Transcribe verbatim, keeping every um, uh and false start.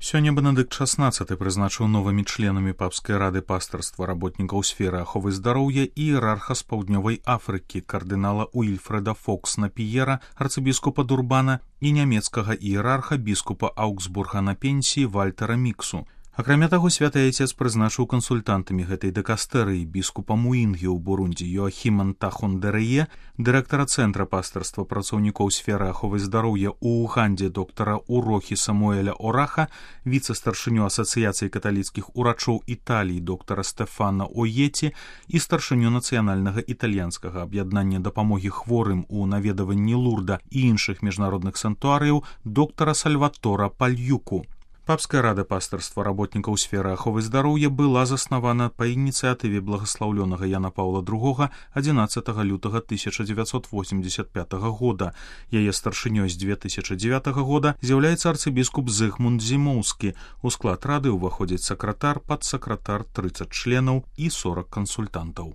Сёння Бенедыкт шаснаццаты прызначыў новымі членамі папскай рады пастырства работнікаў сферы аховы здароўя і іерарха з паўднёвай Афрыкі кардынала Уільфреда Фоксна-Піера, арцыбіскупа Дурбана і нямецкага іерарха біскупа Аугсбурга на пенсіі Вальтера Міксу. Акрамя таго, святы айцец прызначыў кансультантамі гэтай дэкастэрыі біскупа Муінгі ў Бурунді Йоахіма Нтахондэрые, дырэктара Цэнтра пастырства працаўнікоў сферы аховы здароўя ў Уганде доктара Урохі Самуэля Ораха, віцэ-старшыню Асацыяцыі каталіцкіх урачоў Італіі доктара Стэфана Оеці і старшыню нацыянальнага італьянскага аб'яднання дапамогі хворым у наведаванні Лурда і іншых міжнародных санктуарыяў доктара Сальватора Пальюку. Папская рада пастырства работнікаў сферы аховы здароўя была заснавана па ініцыятыве благаслаўлёнага Яна Паўла другога адзінаццатага лютага тысяча дзевяцьсот восемьдесят пятага года. Яе старшынёй з две тысячи дзевятага года з'яўляецца арцыбіскуп Зыгмунд Зімоўскі. У склад рады ўваходзіць сакратар, падсакратар, трыццаць членаў і сорок кансультантаў.